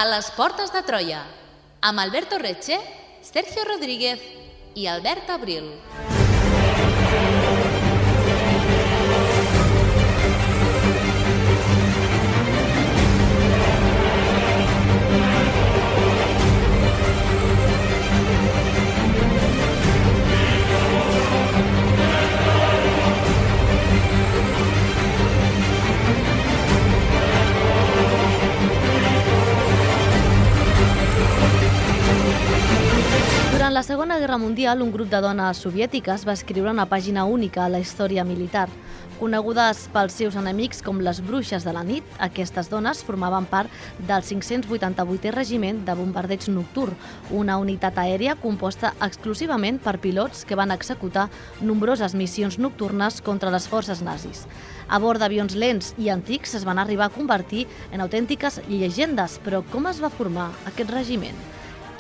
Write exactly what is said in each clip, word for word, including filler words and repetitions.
A les portes de Troia, amb Alberto Reche, Sergio Rodríguez i Albert Abril. Durant la Segona Guerra Mundial, un grup de dones soviètiques va escriure una pàgina única a la història militar. Conegudes pels seus enemics com les bruixes de la nit, aquestes dones formaven part del cinc-cents vuitanta-vuitè Regiment de Bombardeig Nocturn, una unitat aèria composta exclusivament per pilots que van executar nombroses missions nocturnes contra les forces nazis. A bord d'avions lents i antics es van arribar a convertir en autèntiques llegendes, però com es va formar aquest regiment?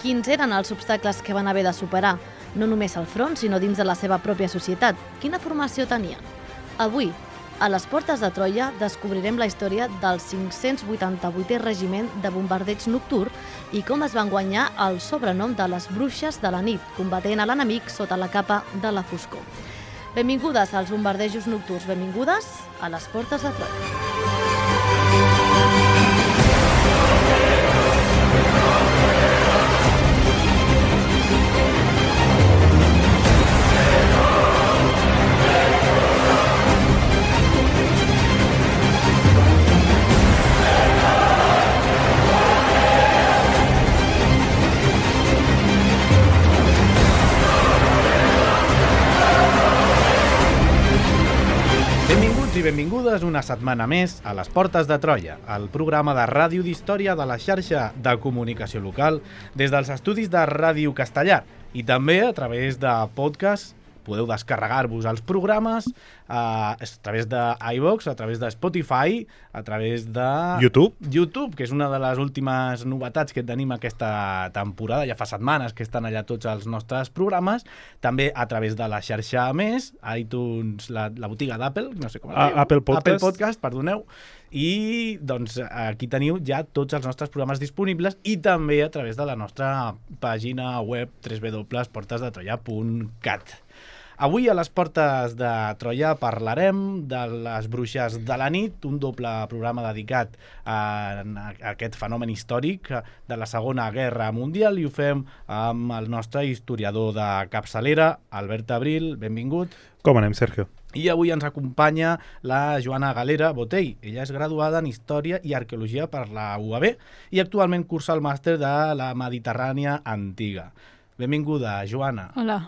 Quins eren els obstacles que van haver de superar, no només al front, sinó dins de la seva pròpia societat? Quina formació tenien? Avui, a les portes de Troia, descobrirem la història del cinc-cents vuitanta-vuitè Regiment de Bombardeig Nocturn i com es van guanyar el sobrenom de les bruixes de la nit, combatent a l'enemic sota la capa de la foscor. Benvingudes als bombardejos nocturns, benvingudes a les portes de Troia. I benvingudes una setmana més a les Portes de Troia, el programa de ràdio d'història de la xarxa de comunicació local des dels estudis de Ràdio Castellar i també a través de podcast. Podeu descarregar-vos els programes a, a través de iVoox, a través de Spotify, a través de YouTube. YouTube, que és una de les últimes novetats que tenim aquesta temporada. Ja fa setmanes que estan allà tots els nostres programes. També a través de la xarxa Més, iTunes, la, la botiga d'Apple, no sé com es diu. Apple Podcast. Apple Podcast, perdoneu. I doncs aquí teniu ja tots els nostres programes disponibles i també a través de la nostra pàgina web w w w punt portes de troia punt cat. Avui a les Portes de Troia parlarem de les bruixes de la nit, un doble programa dedicat a, a aquest fenomen històric de la Segona Guerra Mundial, i ho fem amb el nostre historiador de capçalera, Albert Abril. Benvingut. Com anem, Sergio? I avui ens acompanya la Joana Galera Botell. Ella és graduada en Història i Arqueologia per la U A B i actualment cursa el màster de la Mediterrània Antiga. Benvinguda, Joana. Hola.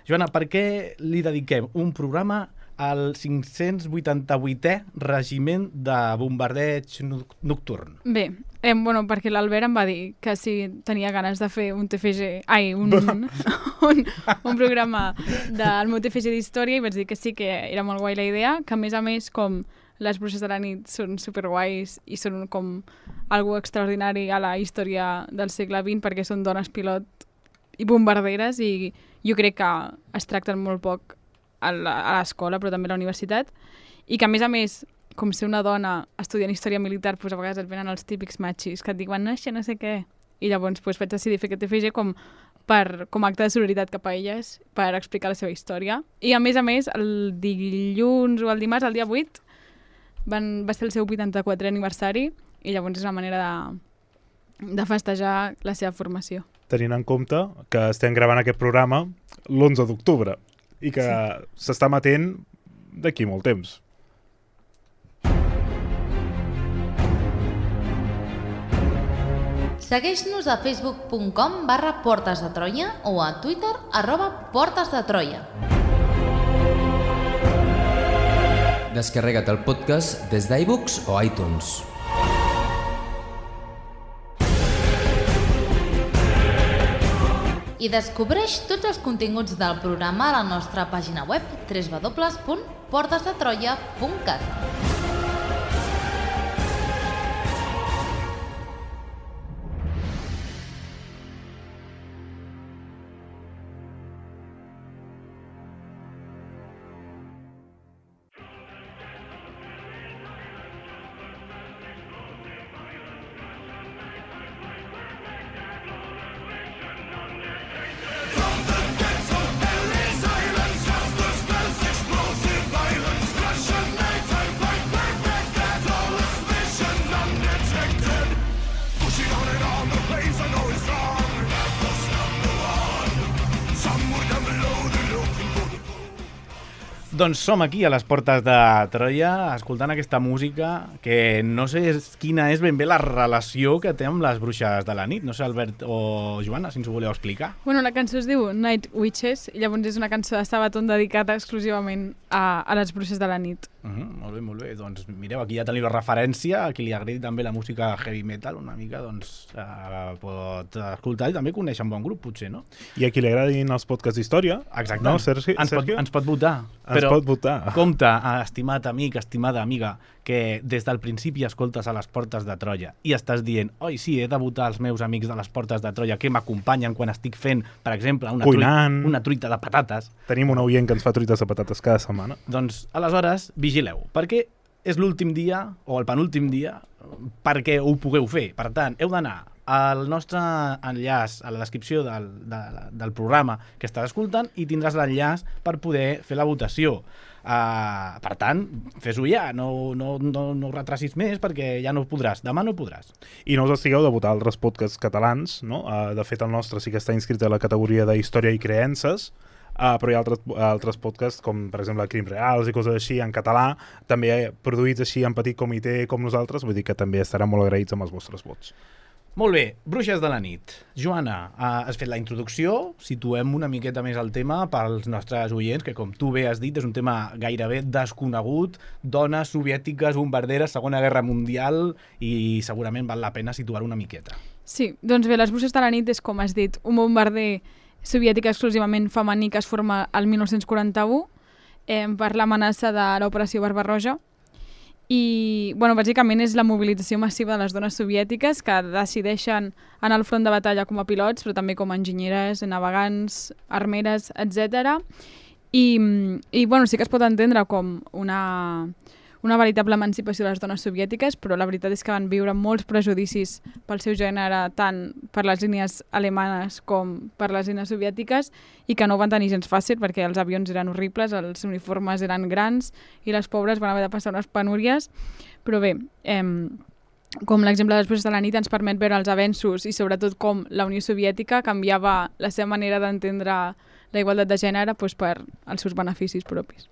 Joana, per què li dediquem un programa al cinc-cents vuitanta-vuitè Regiment de Bombardeig Nocturn? Bé, eh, bueno, perquè l'Albert em va dir que si tenia ganes de fer un T F G, ai, un, un, un programa del meu T F G d'història, i vaig dir que sí, que era molt guai la idea, que a més a més, com les bruixes de la nit són superguais i són com algo extraordinari a la història del segle vint, perquè són dones pilot i bombarderes, i jo crec que es tracten molt poc a l'escola, però també a la universitat, i que a més a més, com ser una dona estudiant història militar, doncs a vegades et venen els típics machis que et diuen, no, això no sé què, i llavors doncs, vaig decidir fer aquest T F G com, per, com a acte de solidaritat cap a elles, per explicar la seva història. I a més a més, el dilluns o el dimarts, el dia vuit, van, va ser el seu vuitanta-quatrè aniversari, i llavors és una manera de, de festejar la seva formació. Tenint en compte que estem gravant aquest programa l'onze d'octubre i que s'està emetent d'aquí molt temps. Segueix-nos a facebook punt com barra portes de Troia o a Twitter arroba portes de Troia. Descarrega't el podcast des d'iVoox o iTunes. I descobreix tots els continguts del programa a la nostra pàgina web w w w punt portes de troia punt cat. Doncs som aquí a les portes de Troia escoltant aquesta música que no sé quina és ben bé la relació que té amb les bruixes de la nit. No sé, Albert o Joana, si ens ho voleu explicar. Bueno, la cançó es diu Night Witches i llavors és una cançó de Sabaton dedicada exclusivament a, a les bruixes de la nit. Uh -huh, molt bé, molt bé. Doncs mireu, aquí ja teniu la referència. A qui li agradi també la música heavy metal una mica, doncs uh, pot escoltar i també conèixer un bon grup, potser, no? I a qui li agradin els podcasts d'història, exacte, no, Sergi? Ens, pot, ens pot votar. Ens Però pot votar. compte, estimat amic, estimada amiga, que des del principi escoltes a les portes de Troia i estàs dient, oi, sí, he de votar els meus amics de les portes de Troia que m'acompanyen quan estic fent, per exemple, una, truita, una truita de patates. Tenim un oient que ens fa truites de patates cada setmana. Doncs, aleshores, vigileu, perquè és l'últim dia, o el penúltim dia, perquè ho pugueu fer. Per tant, heu d'anar al nostre enllaç a la descripció del, de, del programa que estàs escoltant i tindràs l'enllaç per poder fer la votació. Uh, per tant, fes-ho ja, no, no, no, no retracis més perquè ja no podràs, demà no podràs. I no us estigueu de votar altres podcasts catalans, no? Uh, de fet, el nostre sí que està inscrit a la categoria d'Història i Creences, Uh, però hi ha altres, altres podcasts com per exemple Crims Reals i coses així en català, també produïts així en petit comitè com nosaltres, vull dir que també estaran molt agraïts amb els vostres vots. Molt bé, Bruixes de la nit. Joana, uh, has fet la introducció, situem una miqueta més el tema pels nostres oients, que com tu bé has dit és un tema gairebé desconegut, dones soviètiques, bombarderes, Segona Guerra Mundial, i segurament val la pena situar una miqueta. Sí, doncs bé, les Bruixes de la nit és, com has dit, un bombarder soviètica exclusivament femení que es forma el mil nou-cents quaranta-u eh, per l'amenaça de l'operació Barbarroja. I, bueno, bàsicament és la mobilització massiva de les dones soviètiques que decideixen anar al front de batalla com a pilots, però també com a enginyeres, navegants, armeres, etcètera. I, i bueno, sí que es pot entendre com una, una veritable emancipació de les dones soviètiques, però la veritat és que van viure molts prejudicis pel seu gènere, tant per les línies alemanes com per les línies soviètiques, i que no ho van tenir gens fàcil perquè els avions eren horribles, els uniformes eren grans i les pobres van haver de passar unes penúries. Però bé, eh, com l'exemple de les Bruixes de la nit ens permet veure els avenços i sobretot com la Unió Soviètica canviava la seva manera d'entendre la igualtat de gènere doncs, per als seus beneficis propis.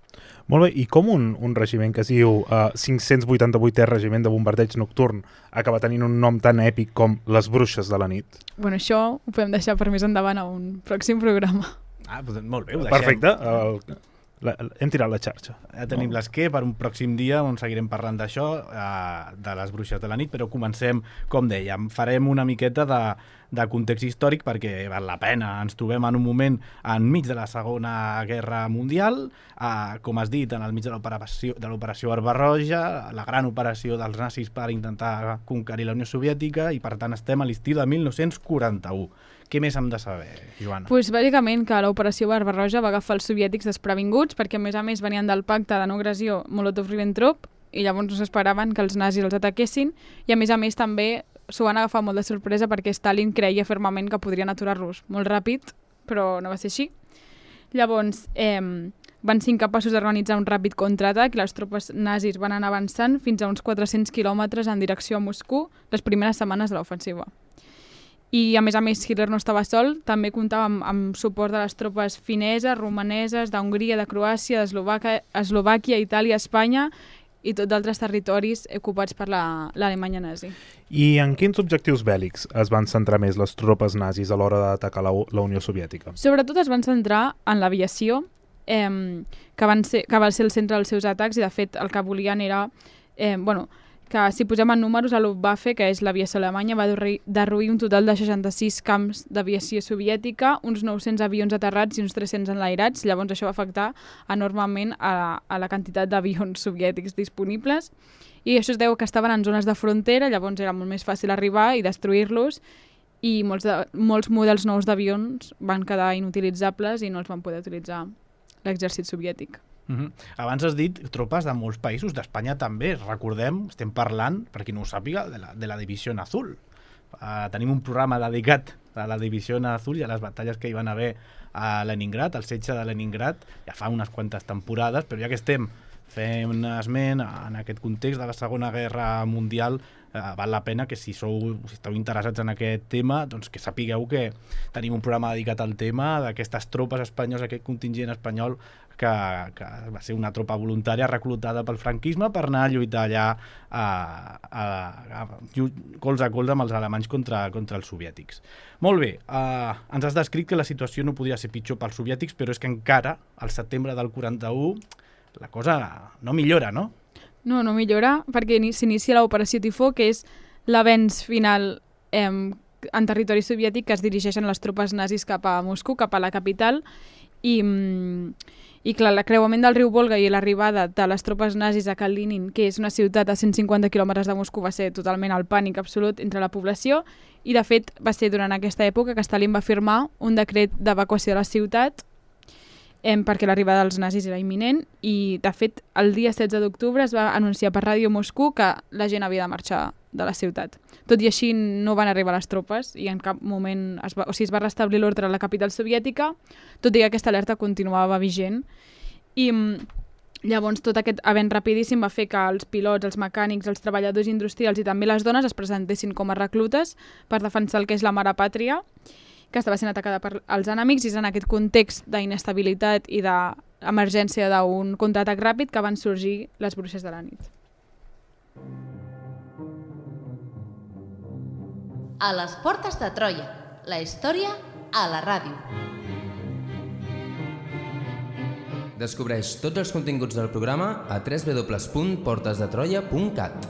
Molt bé, i com un, un regiment que es diu uh, cinc-cents vuitanta-vuitè Regiment de Bombardeig Nocturn acaba tenint un nom tan èpic com les Bruixes de la nit? Bueno, això ho podem deixar per més endavant a un pròxim programa. Ah, doncs molt bé, ho deixem. Perfecte, el, la, hem tirat la xarxa. Ja tenim no? l'esquer per un pròxim dia on seguirem parlant d'això, eh, de les Bruixes de la nit, però comencem, com dèiem, farem una miqueta de, de context històric perquè val la pena. Ens trobem en un moment enmig de la Segona Guerra Mundial, eh, com has dit, en el mig de l'operació de l'operació Barbarroja, la gran operació dels nazis per intentar conquerir la Unió Soviètica, i per tant estem a l'estiu de mil nou-cents quaranta-u. Què més hem de saber, Joana? Pues, bàsicament que l'operació Barbarroja va agafar els soviètics desprevinguts perquè a més a més venien del pacte de no agressió Molotov-Ribbentrop i llavors no s'esperaven que els nazis els ataquessin, i a més a més també s'ho van agafar molt de sorpresa perquè Stalin creia fermament que podrien aturar-los molt ràpid, però no va ser així. Llavors eh, van ser incapaços d'organitzar un ràpid contraatac i les tropes nazis van anar avançant fins a uns quatre-cents quilòmetres en direcció a Moscou les primeres setmanes de l'ofensiva. I a més a més Hitler no estava sol, també comptava amb, amb suport de les tropes fineses, romaneses, d'Hongria, de Croàcia, d'Eslovàquia, Itàlia, Espanya i tots d'altres territoris ocupats per l'Alemanya la, nazi. I en quins objectius bèl·lics es van centrar més les tropes nazis a l'hora d'atacar la, la Unió Soviètica? Sobretot es van centrar en l'aviació, eh, que, van ser, que va ser el centre dels seus atacs, i de fet el que volien era... Eh, bueno, que si posem en números, la Luftwaffe, que és l'aviació alemanya, va derruir un total de seixanta-sis camps d'aviació soviètica, uns nou-cents avions aterrats i uns tres-cents enlairats. Llavors això va afectar enormement a, a la quantitat d'avions soviètics disponibles, i això es deu que estaven en zones de frontera, llavors era molt més fàcil arribar i destruir-los, i molts, de, molts models nous d'avions van quedar inutilitzables i no els van poder utilitzar l'exèrcit soviètic. Uh-huh. Abans has dit tropes de molts països, d'Espanya també. Recordem, estem parlant, per qui no ho sàpiga, de la, de la Divisió Azul. Uh, tenim un programa dedicat a la Divisió Azul i a les batalles que hi van haver a Leningrad, al setge de Leningrad, ja fa unes quantes temporades, però ja que estem fent esment en aquest context de la Segona Guerra Mundial, eh, val la pena que si sou, si esteu interessats en aquest tema, doncs que sapigueu que tenim un programa dedicat al tema d'aquestes tropes espanyoles, aquest contingent espanyol que, que va ser una tropa voluntària reclutada pel franquisme per anar a lluitar allà a, a, a, a, colze a colze amb els alemanys contra, contra els soviètics. Molt bé, eh, ens has descrit que la situació no podia ser pitjor pels soviètics, però és que encara, al setembre del quaranta-u, la cosa no millora, no? No, no millora, perquè s'inicia l'operació Tifó, que és l'avenç final eh, en territori soviètic que es dirigeixen les tropes nazis cap a Moscou, cap a la capital, i... I clar, l'acreuament del riu Volga i l'arribada de les tropes nazis a Kalinin, que és una ciutat a cent cinquanta quilòmetres de Moscou, va ser totalment el pànic absolut entre la població, i de fet va ser durant aquesta època que Stalin va firmar un decret d'evacuació de la ciutat eh, perquè l'arribada dels nazis era imminent, i de fet el dia setze d'octubre es va anunciar per Ràdio Moscou que la gent havia de marxar de la ciutat. Tot i així no van arribar les tropes i en cap moment es va, o sigui, es va restablir l'ordre a la capital soviètica, tot i que aquesta alerta continuava vigent. I llavors tot aquest avenç rapidíssim va fer que els pilots, els mecànics, els treballadors industrials i també les dones es presentessin com a reclutes per defensar el que és la mare pàtria, que estava sent atacada per els enemics, i és en aquest context d'inestabilitat i d'emergència d'un contraatac ràpid que van sorgir les bruixes de la nit. A les portes de Troia, la història a la ràdio. Descobreix tots els continguts del programa a w w w punt portes de troia punt cat.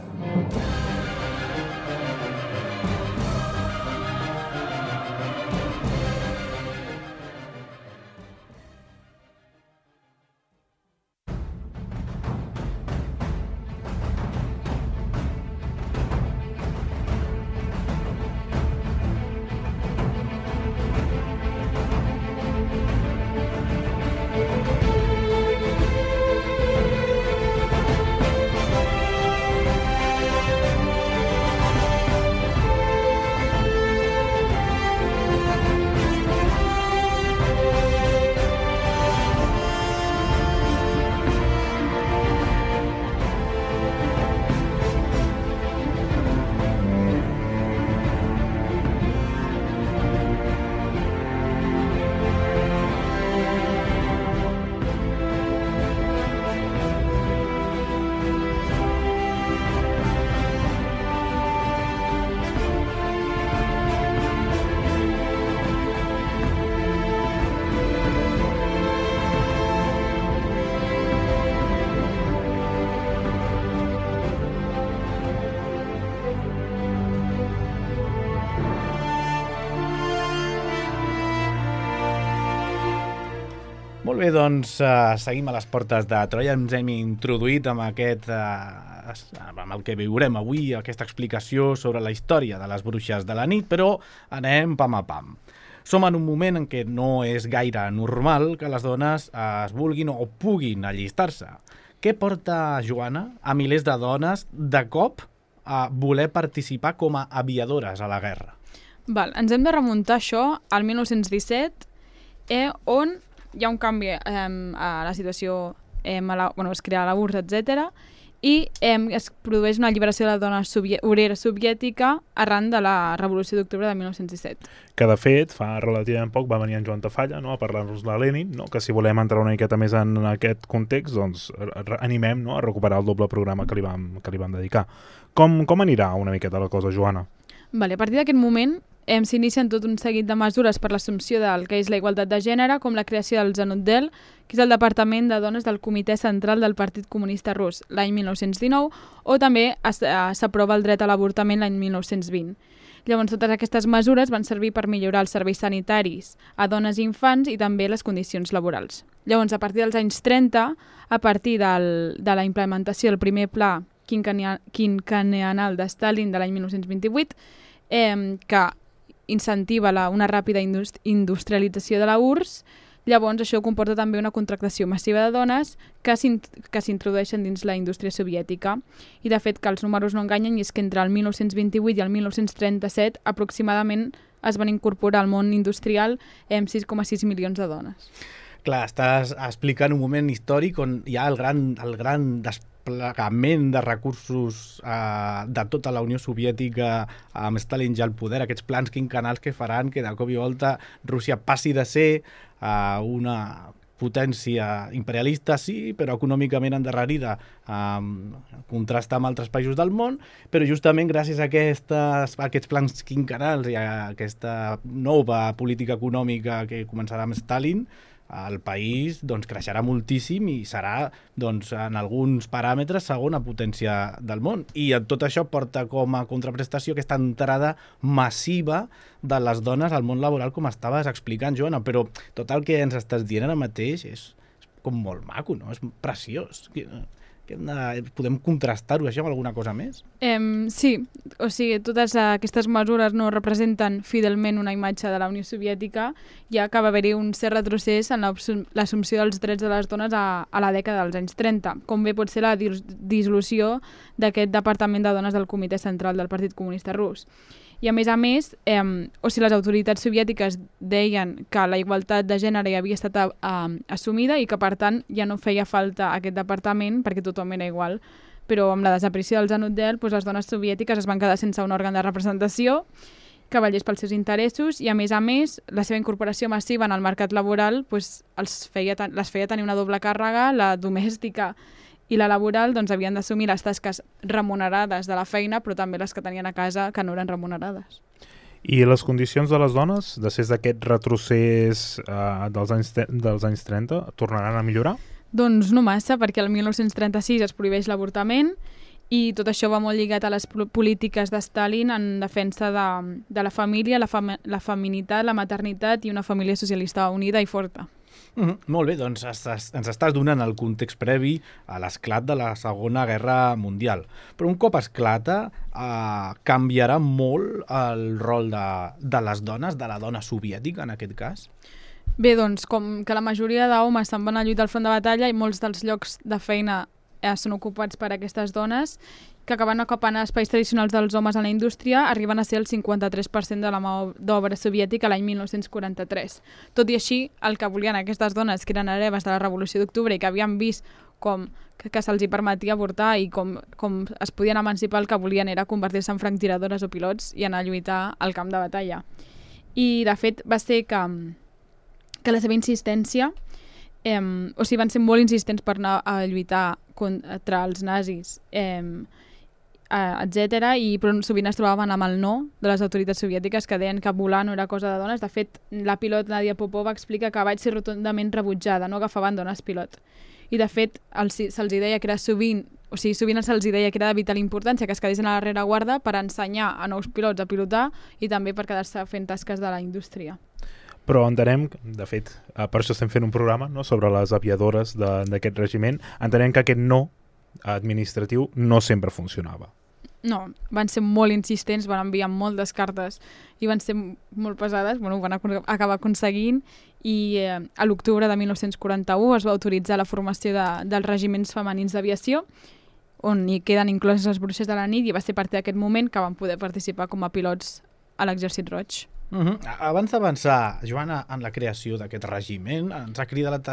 Molt bé, doncs uh, seguim a les portes de Troia. Ens hem introduït amb aquest, uh, amb el que viurem avui, aquesta explicació sobre la història de les bruixes de la nit, però anem pam a pam. Som en un moment en què no és gaire normal que les dones uh, es vulguin o puguin allistar-se. Què porta, Joana, a milers de dones de cop a voler participar com a aviadores a la guerra? Val, ens hem de remuntar això al mil nou-cents disset, eh, on hi ha un canvi eh, a la situació, eh, a la, bueno, es crea la U R S S, etcètera, i eh, es produeix una alliberació de la dona soviè obrera soviètica arran de la Revolució d'Octubre de mil nou-cents disset. Que, de fet, fa relativament poc va venir en Joan Tafalla, no?, a parlar-nos de Lenin, no?, que si volem entrar una miqueta més en aquest context, doncs animem, no?, a recuperar el doble programa que li vam, que li vam dedicar. Com, com anirà una miqueta la cosa, Joana? Vale, a partir d'aquest moment eh, s'inicien tot un seguit de mesures per l'assumpció del que és la igualtat de gènere, com la creació del Zanutdel, que és el Departament de Dones del Comitè Central del Partit Comunista Rus l'any mil nou-cents dinou, o també s'aprova el dret a l'avortament l'any mil nou-cents vint. Llavors, totes aquestes mesures van servir per millorar els serveis sanitaris a dones i infants i també les condicions laborals. Llavors, a partir dels anys trenta, a partir del, de la implementació del primer pla quinquennial de Stalin de l'any mil nou-cents vint-i-vuit, eh, que incentiva la, una ràpida indust industrialització de la U R S S, llavors això comporta també una contractació massiva de dones que s'introdueixen dins la indústria soviètica. I de fet que els números no enganyen, i és que entre el mil nou-cents vint-i-vuit i el mil nou-cents trenta-set aproximadament es van incorporar al món industrial amb sis coma sis milions de dones. clar, estàs explicant un moment històric on hi ha el gran, el gran desplegament de recursos eh, de tota la Unió Soviètica amb Stalin ja al poder, aquests plans quinquennals que faran que de cop i volta Rússia passi de ser eh, una potència imperialista, sí, però econòmicament endarrerida, eh, contrasta amb altres països del món, però justament gràcies a, aquestes, a aquests plans quinquennals i a aquesta nova política econòmica que començarà amb Stalin, el país doncs, creixerà moltíssim i serà doncs, en alguns paràmetres segona potència del món. I tot això porta com a contraprestació aquesta entrada massiva de les dones al món laboral, com estaves explicant, Joana, però tot el que ens estàs dient ara mateix és, és com molt maco, no? És preciós. Que, que hem de, podem contrastar-ho això amb alguna cosa més? Um, sí, o sigui, totes aquestes mesures no representen fidelment una imatge de la Unió Soviètica, ja que va haver-hi un cert retrocés en l'assumpció dels drets de les dones a, a la dècada dels anys trenta, com bé pot ser la dissolució d'aquest Departament de Dones del Comitè Central del Partit Comunista Rus. I a més a més, eh, o sigui, les autoritats soviètiques deien que la igualtat de gènere ja havia estat eh, assumida i que per tant ja no feia falta aquest departament perquè tothom era igual. Però amb la desaparició del Zanudel, doncs les dones soviètiques es van quedar sense un òrgan de representació que vetllés pels seus interessos i a més a més la seva incorporació massiva en el mercat laboral doncs, els feia, les feia tenir una doble càrrega, la domèstica i la laboral doncs, havien d'assumir les tasques remunerades de la feina, però també les que tenien a casa que no eren remunerades. I les condicions de les dones, després d'aquest retrocés eh, dels, anys, dels anys trenta, tornaran a millorar? Doncs no massa, perquè el mil nou-cents trenta-sis es prohibeix l'avortament i tot això va molt lligat a les polítiques de Stalin en defensa de, de la família, la, fam la feminitat, la maternitat i una família socialista unida i forta. Mm -hmm. Molt bé, doncs estàs, ens estàs donant el context previ a l'esclat de la Segona Guerra Mundial. Però un cop esclata, eh, canviarà molt el rol de, de les dones, de la dona soviètica en aquest cas? Bé, doncs, com que la majoria d'homes se'n van a lluitar al front de batalla i molts dels llocs de feina eh, són ocupats per aquestes dones, que acaben ocupant espais tradicionals dels homes en la indústria, arriben a ser el cinquanta-tres per cent de la mà d'obra soviètica l'any mil nou-cents quaranta-tres. Tot i així, el que volien aquestes dones, que eren hereves de la Revolució d'Octubre i que havien vist com que, que se'ls permetia avortar i com, com es podien emancipar, el que volien era convertir-se en franctiradores o pilots i anar a lluitar al camp de batalla. I, de fet, va ser que, que la seva insistència, eh, o sigui, van ser molt insistents per anar a lluitar contra els nazis, eh, etcètera, i però sovint es trobaven amb el no de les autoritats soviètiques que deien que volar no era cosa de dones. De fet, la pilot Nadia Popova explica que vaig ser rotundament rebutjada, no agafaven dones pilot. I de fet, se'ls deia que era sovint, o sigui, sovint se'ls deia que era de vital importància que es quedessin a la rereguarda per ensenyar a nous pilots a pilotar i també per quedar-se fent tasques de la indústria. Però entenem, de fet, per això estem fent un programa, no?, sobre les aviadores d'aquest regiment, entenem que aquest no administratiu no sempre funcionava. No, van ser molt insistents, van enviar moltes cartes i van ser molt pesades, bueno, ho van acabar aconseguint i eh, a l'octubre de mil nou-cents quaranta-u es va autoritzar la formació de, dels regiments femenins d'aviació, on hi queden incloses les bruixes de la nit, i va ser a partir d'aquest moment que van poder participar com a pilots a l'Exèrcit Roig. Uh-huh. Abans d'avançar, Joana, en la creació d'aquest regiment, ens ha cridat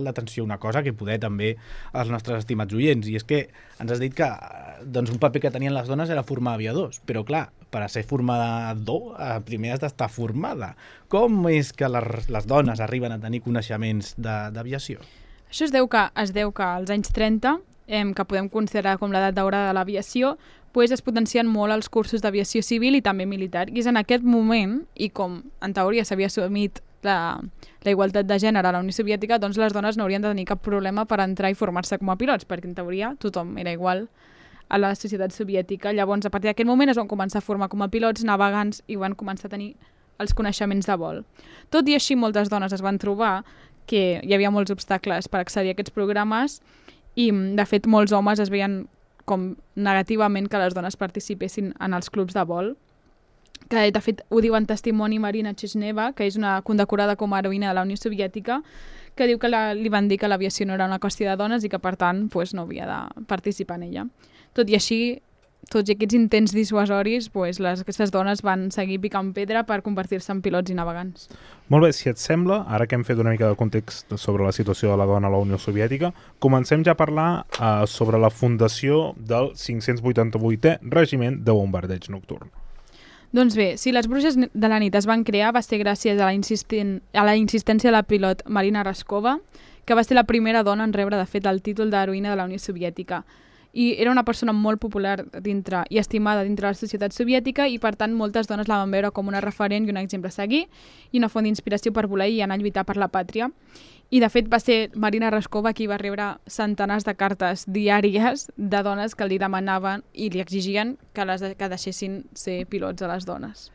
l'atenció una cosa que poder també als nostres estimats oients, i és que ens has dit que doncs, un paper que tenien les dones era formar aviadors, però clar, per a ser formador primer has d'estar formada. Com és que les, les dones arriben a tenir coneixements d'aviació? Això es deu que, es deu que als anys trenta, eh, que podem considerar com l'edat daurada de l'aviació, pues es potencien molt els cursos d'aviació civil i també militar. I és en aquest moment, i com en teoria s'havia assumit la, la igualtat de gènere a la Unió Soviètica, doncs les dones no haurien de tenir cap problema per entrar i formar-se com a pilots, perquè en teoria tothom era igual a la societat soviètica. Llavors, a partir d'aquest moment es van començar a formar com a pilots navegants i van començar a tenir els coneixements de vol. Tot i així, moltes dones es van trobar que hi havia molts obstacles per accedir a aquests programes i, de fet, molts homes es veien com negativament que les dones participessin en els clubs de vol, que de fet ho diu en testimoni Marina Chesneva, que és una condecorada com a heroïna de la Unió Soviètica, que diu que la, li van dir que l'aviació no era una qüestió de dones i que per tant pues, no havia de participar en ella. Tot i així, tots aquests intents dissuasoris, pues, les, aquestes dones van seguir picant pedra per convertir-se en pilots i navegants. Molt bé, si et sembla, ara que hem fet una mica de context sobre la situació de la dona a la Unió Soviètica, comencem ja a parlar uh, sobre la fundació del cinc-cents vuitanta-vuitè Regiment de Bombardeig Nocturn. Doncs bé, si les bruixes de la nit es van crear va ser gràcies a la, insistent, a la insistència de la pilot Marina Raskova, que va ser la primera dona en rebre, de fet, el títol d'heroïna de la Unió Soviètica. I era una persona molt popular dintre i estimada dintre de la societat soviètica i, per tant, moltes dones la van veure com una referent i un exemple a seguir i una font d'inspiració per voler i anar a lluitar per la pàtria. I, de fet, va ser Marina Raskova qui va rebre centenars de cartes diàries de dones que li demanaven i li exigien que, les, que deixessin ser pilots a les dones.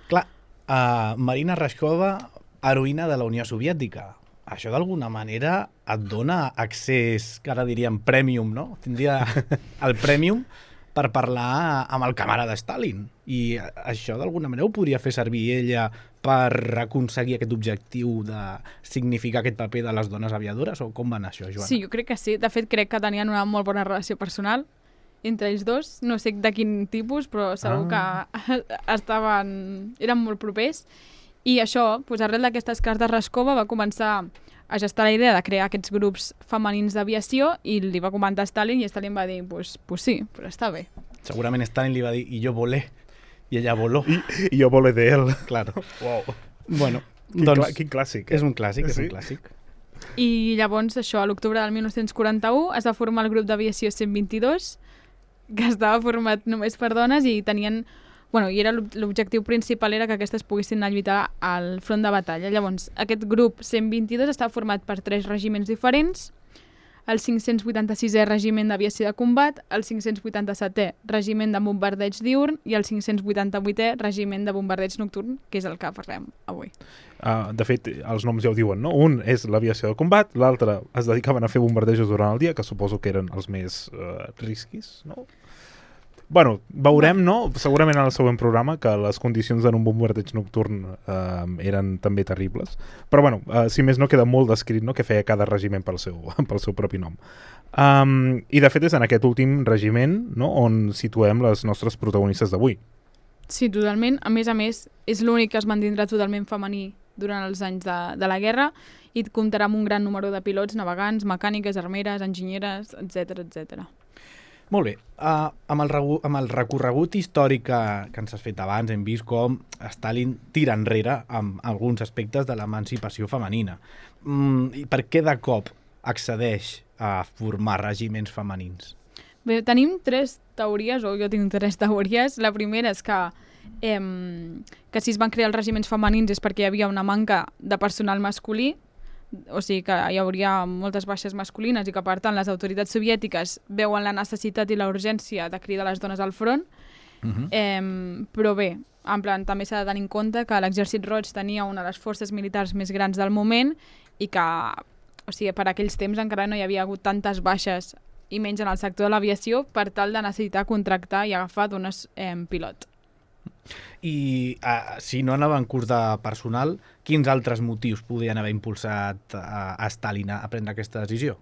Clar, uh, Marina Raskova, heroïna de la Unió Soviètica. Això d'alguna manera et dona accés, que ara diríem premium, no? Tindria el premium per parlar amb el camarada Stalin. I això d'alguna manera ho podria fer servir ella per aconseguir aquest objectiu de significar aquest paper de les dones aviadores? O com va anar això, Joana? Sí, jo crec que sí. De fet, crec que tenien una molt bona relació personal entre ells dos. No sé de quin tipus, però segur ah. que estaven, eren molt propers. I això, doncs, arrel d'aquestes cartes, Raskova va començar a gestar la idea de crear aquests grups femenins d'aviació i li va comentar a Stalin i Stalin va dir, pues, pues sí, però està bé. Segurament Stalin li va dir, i jo volé, i ella voló. I, i jo volé de él. Claro. Wow. Bueno, quin, doncs, clà, quin clàssic. Eh? És un clàssic, sí? és un clàssic. I llavors, això, a l'octubre del mil nou-cents quaranta-u es va formar el grup d'aviació cent vint-i-dos, que estava format només per dones i tenien... Bueno, i era l'objectiu principal era que aquestes poguessin anar a lluitar al front de batalla. Llavors, aquest grup cent vint-i-dos estava format per tres regiments diferents, el cinc-cents vuitanta-sisè Regiment d'Aviació de Combat, el cinc-cents vuitanta-setè Regiment de Bombardeig Diurn i el cinc-cents vuitanta-vuitè Regiment de Bombardeig Nocturn, que és el que parlem avui. Uh, de fet, els noms ja ho diuen, no? Un és l'aviació de combat, l'altre es dedicaven a fer bombardejos durant el dia, que suposo que eren els més uh, risquis, no? Bueno, veurem, no? Segurament en el següent programa que les condicions en un bombardeig nocturn eh, eren també terribles. Però bueno, eh, si més no queda molt descrit, no?, que feia cada regiment pel seu, pel seu propi nom. Um, I de fet és en aquest últim regiment, no?, on situem les nostres protagonistes d'avui. Sí, totalment. A més a més, és l'únic que es mantindrà totalment femení durant els anys de, de la guerra i comptarà amb un gran número de pilots, navegants, mecàniques, armeres, enginyeres, etcètera, etcètera. Molt bé, uh, amb, el amb el recorregut històric que, que ens has fet abans hem vist com Stalin tira enrere amb alguns aspectes de l'emancipació femenina. Mm, I per què de cop accedeix a formar regiments femenins? Bé, tenim tres teories, o jo tinc tres teories. La primera és que, eh, que si es van crear els regiments femenins és perquè hi havia una manca de personal masculí, o sigui que hi hauria moltes baixes masculines i que, per tant, les autoritats soviètiques veuen la necessitat i la urgència de cridar les dones al front. Uh-huh. eh, però bé, en plan, també s'ha de tenir en compte que l'Exèrcit Roig tenia una de les forces militars més grans del moment i que, o sigui, per aquells temps encara no hi havia hagut tantes baixes i menys en el sector de l'aviació per tal de necessitar contractar i agafar dones eh, pilot. I uh, si no anava en curs de personal, quins altres motius podien haver impulsat uh, a Stalin a prendre aquesta decisió?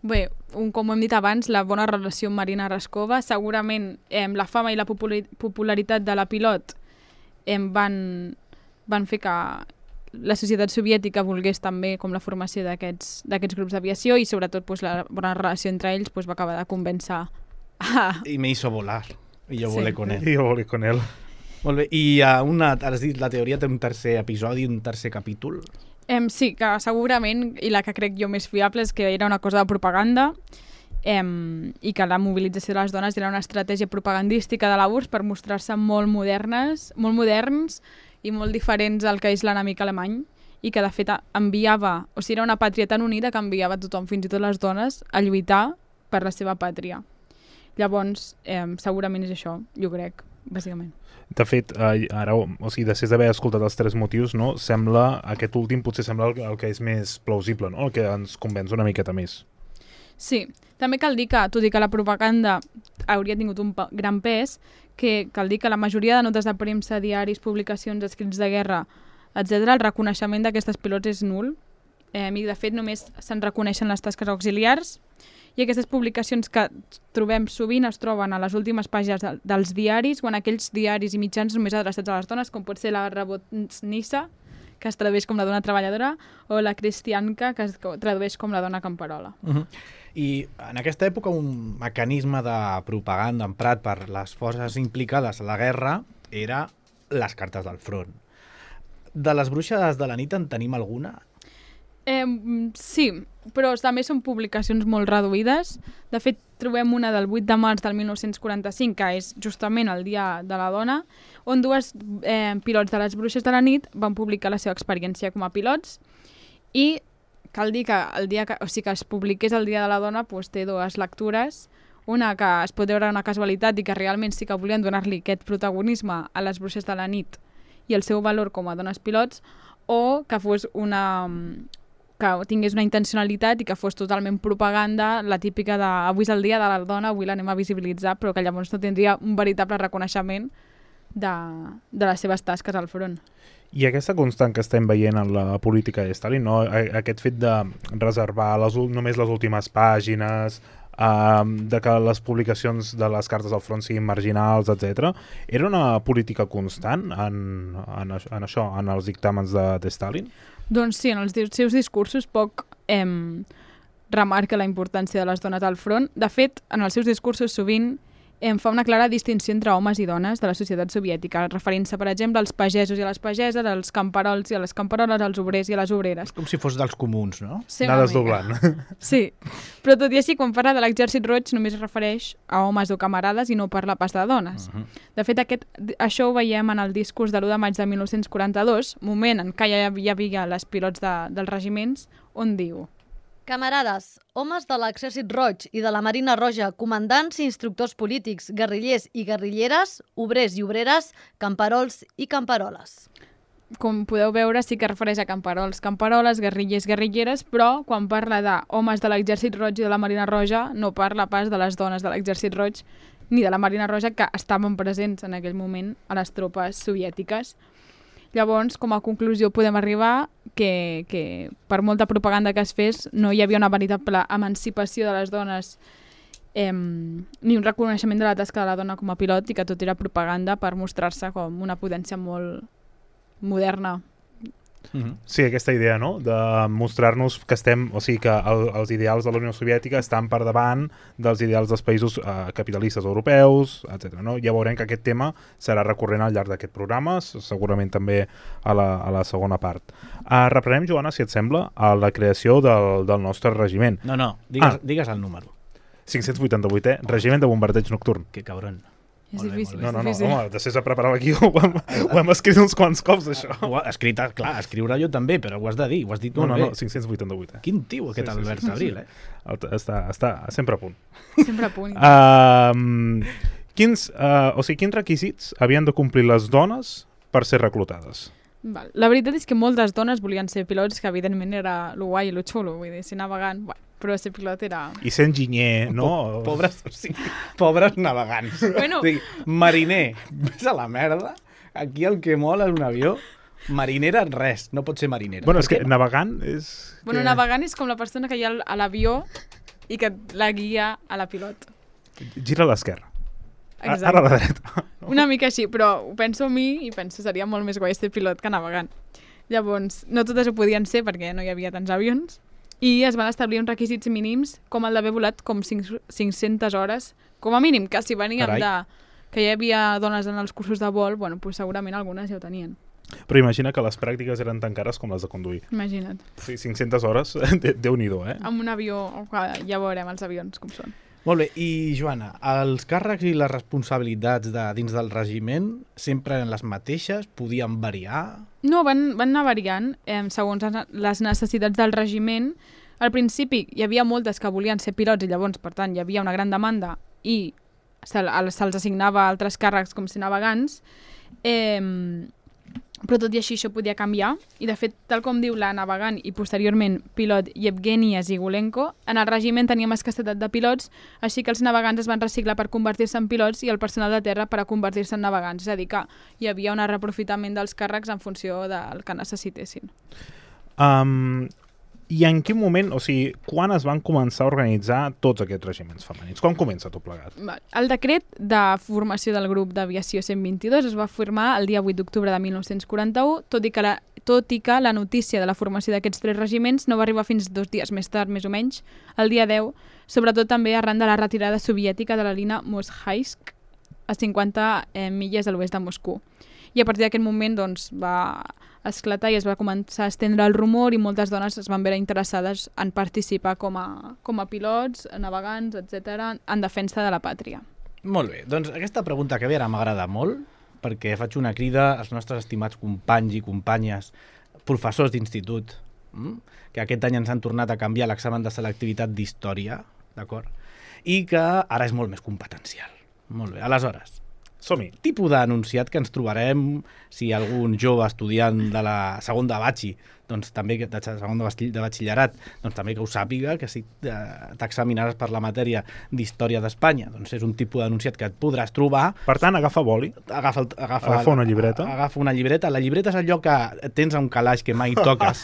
Bé, un, com hem dit abans, la bona relació amb Marina Raskova, segurament eh, la fama i la popularitat de la pilot eh, van, van fer que la societat soviètica volgués també com la formació d'aquests d'aquests grups d'aviació i sobretot pues, la bona relació entre ells pues, va acabar de convèncer a... I me hizo volar, i jo sí. volé con él. I jo volé con él. Molt bé, i uh, una, has dit, la teoria té un tercer episodi, un tercer capítol? Eh, sí, que segurament, i la que crec jo més fiable, és que era una cosa de propaganda eh, i que la mobilització de les dones era una estratègia propagandística de la U R S S per mostrar-se molt modernes, molt moderns i molt diferents al que és l'enemic alemany i que de fet enviava, o sigui, era una pàtria tan unida que enviava tothom, fins i tot les dones, a lluitar per la seva pàtria. Llavors, eh, segurament és això, jo crec, bàsicament. De fet, eh, ara, o sigui, després d'haver escoltat els tres motius, no, sembla, aquest últim potser sembla el, el que és més plausible, no? El que ens convenç una miqueta més. Sí, també cal dir que, tot i que la propaganda hauria tingut un gran pes, que cal dir que la majoria de notes de premsa, diaris, publicacions, escrits de guerra, etcètera, el reconeixement d'aquestes pilots és nul. Eh, I, de fet, només se'n reconeixen les tasques auxiliars I aquestes publicacions que trobem sovint es troben a les últimes pàgines de, dels diaris o en aquells diaris i mitjans només adreçats a les dones, com pot ser la Rabotnissa, que es tradueix com la dona treballadora, o la Cristianca, que es tradueix com la dona camperola. Uh-huh. I en aquesta època un mecanisme de propaganda emprat per les forces implicades a la guerra era les cartes del front. De les bruixes de la nit en tenim alguna? Eh, sí, però també són publicacions molt reduïdes. De fet, trobem una del vuit de març del mil nou-cents quaranta-cinc, que és justament el Dia de la Dona, on dues eh, pilots de les bruixes de la nit van publicar la seva experiència com a pilots i cal dir que el dia que, o sigui, que es publiqués el Dia de la Dona doncs, té dues lectures. Una que es pot veure una casualitat i que realment sí que volien donar-li aquest protagonisme a les bruixes de la nit i el seu valor com a dones pilots, o que fos una... que tingués una intencionalitat i que fos totalment propaganda, la típica de avui és el dia de la dona, avui l'anem a visibilitzar, però que llavors no tindria un veritable reconeixement de, de les seves tasques al front. I aquesta constant que estem veient en la política de Stalin, no? Aquest fet de reservar les, només les últimes pàgines, uh, de que les publicacions de les cartes al front siguin marginals, etcètera, era una política constant en, en, en això, en els dictàmens de, de Stalin? Doncs sí, en els seus discursos poc eh, remarca la importància de les dones al front. De fet, en els seus discursos sovint em fa una clara distinció entre homes i dones de la societat soviètica, referint-se, per exemple, als pagesos i a les pageses, als camperols i a les camperoles, als obrers i a les obreres. És com si fos dels comuns, no? Sí, anar desdoblant. Sí, però tot i així, quan parla de l'exèrcit roig, només es refereix a homes o camarades i no parla pas de dones. Uh -huh. De fet, aquest, això ho veiem en el discurs de l'u de maig de mil nou-cents quaranta-dos, moment en què ja hi havia les pilots de, dels regiments, on diu: Camarades, homes de l'exèrcit roig i de la Marina Roja, comandants i instructors polítics, guerrillers i guerrilleres, obrers i obreres, camperols i camperoles. Com podeu veure, sí que refereix a camperols, camperoles, guerrillers, guerrilleres, però quan parla d'homes de l'exèrcit roig i de la Marina Roja, no parla pas de les dones de l'exèrcit roig ni de la Marina Roja que estaven presents en aquell moment a les tropes soviètiques. Llavors, com a conclusió, podem arribar que, que per molta propaganda que es fes no hi havia una veritable emancipació de les dones eh, ni un reconeixement de la tasca de la dona com a pilot i que tot era propaganda per mostrar-se com una potència molt moderna. Mm-hmm. Sí, aquesta idea, no?, de mostrar-nos que estem, o sigui, que el, els ideals de la Unió Soviètica estan per davant dels ideals dels països eh, capitalistes europeus, etcètera. No? Ja veurem que aquest tema serà recurrent al llarg d'aquest programa, segurament també a la, a la segona part. Uh, reprenem, Joana, si et sembla, a la creació del, del nostre regiment. No, no, digues, ah. digues el número. cinc-cents vuitanta-vuit, eh? Regiment de bombardeig nocturn. Que cabron. És Molt bé, difícil, molt bé. No, no, no, difícil. home, després de preparar l'equip ho, hem, ho hem escrit uns quants cops, això. Ho ha escrit, clar, escriure jo també, però ho has de dir, ho has dit No, molt no, bé. no, cinc-cents vuitanta-vuit, eh? Quin tio, aquest Sí, sí, Albert sí, sí, Abril, sí. eh? El, està, està sempre a punt. Sempre a punt. Uh, quins, uh, o sigui, quins requisits havien de complir les dones per ser reclutades? Val. La veritat és que moltes dones volien ser pilots, que evidentment era lo guai i lo xulo, vull dir, ser navegant, bueno, però ser pilot era... I ser enginyer, no? Po pobres, o sigui, pobres navegants. Bueno. O sigui, mariner, vés a la merda, aquí el que mola és un avió. Marinera, res, no pot ser marinera. Bueno, és que Per què? navegant és... Bueno, que... navegant és com la persona que hi ha a l'avió i que la guia a la pilot. Gira a l'esquerra. Exacte. Ara a la dreta. Una mica així, però ho penso a mi i penso seria molt més guai ser pilot que navegant. Llavors, no totes ho podien ser perquè no hi havia tants avions i es van establir uns requisits mínims com el d'haver volat com cinc-centes hores, com a mínim, que si veníem Carai. de que hi havia dones en els cursos de vol, bueno, pues segurament algunes ja ho tenien. Però imagina que les pràctiques eren tan cares com les de conduir. Imagina't. Sí, cinc-centes hores, Déu-n'hi-do, eh? Amb un avió, ja veurem els avions com són. Molt bé, i Joana, els càrrecs i les responsabilitats de dins del regiment sempre eren les mateixes? Podien variar? No, van, van anar variant eh, segons les necessitats del regiment. Al principi hi havia moltes que volien ser pilots i llavors, per tant, hi havia una gran demanda i se'ls se assignava altres càrrecs com ser navegants. Eh, però tot i així això podia canviar i de fet, tal com diu la navegant i posteriorment pilot Yevgenia Zigulenko, en el regiment teníem escassetat de pilots, així que els navegants es van reciclar per convertir-se en pilots i el personal de terra per a convertir-se en navegants, és a dir que hi havia un reaprofitament dels càrrecs en funció del que necessitessin. Um, I en quin moment, o sigui, quan es van començar a organitzar tots aquests regiments femenins? Com comença tot plegat? El decret de formació del grup d'aviació cent vint-i-dos es va firmar el dia vuit d'octubre de mil nou-cents quaranta-u, tot i que la, tot i que la notícia de la formació d'aquests tres regiments no va arribar fins dos dies més tard, més o menys, el dia deu, sobretot també arran de la retirada soviètica de la línia Moshaivsk a cinquanta eh, milles a l'oest de Moscou. I a partir d'aquest moment doncs, va esclatar i es va començar a estendre el rumor i moltes dones es van veure interessades en participar com a, com a pilots, navegants, etcètera, en defensa de la pàtria. Molt bé, doncs aquesta pregunta que ve ara m'agrada molt, perquè faig una crida als nostres estimats companys i companyes, professors d'institut, hm? que aquest any ens han tornat a canviar l'examen de selectivitat d'història, d'acord? I que ara és molt més competencial. Molt bé, aleshores, som-hi. Tipus d'enunciat que ens trobarem si algun jove estudiant de la segon de batxi, doncs també de segon de batxillerat, doncs també que ho sàpiga, que si t'examinaràs per la matèria d'història d'Espanya, doncs és un tipus d'enunciat que et podràs trobar. Per tant, agafa boli, agafa, agafa, agafa una llibreta. Agafa una llibreta. La llibreta és allò que tens a un calaix que mai toques,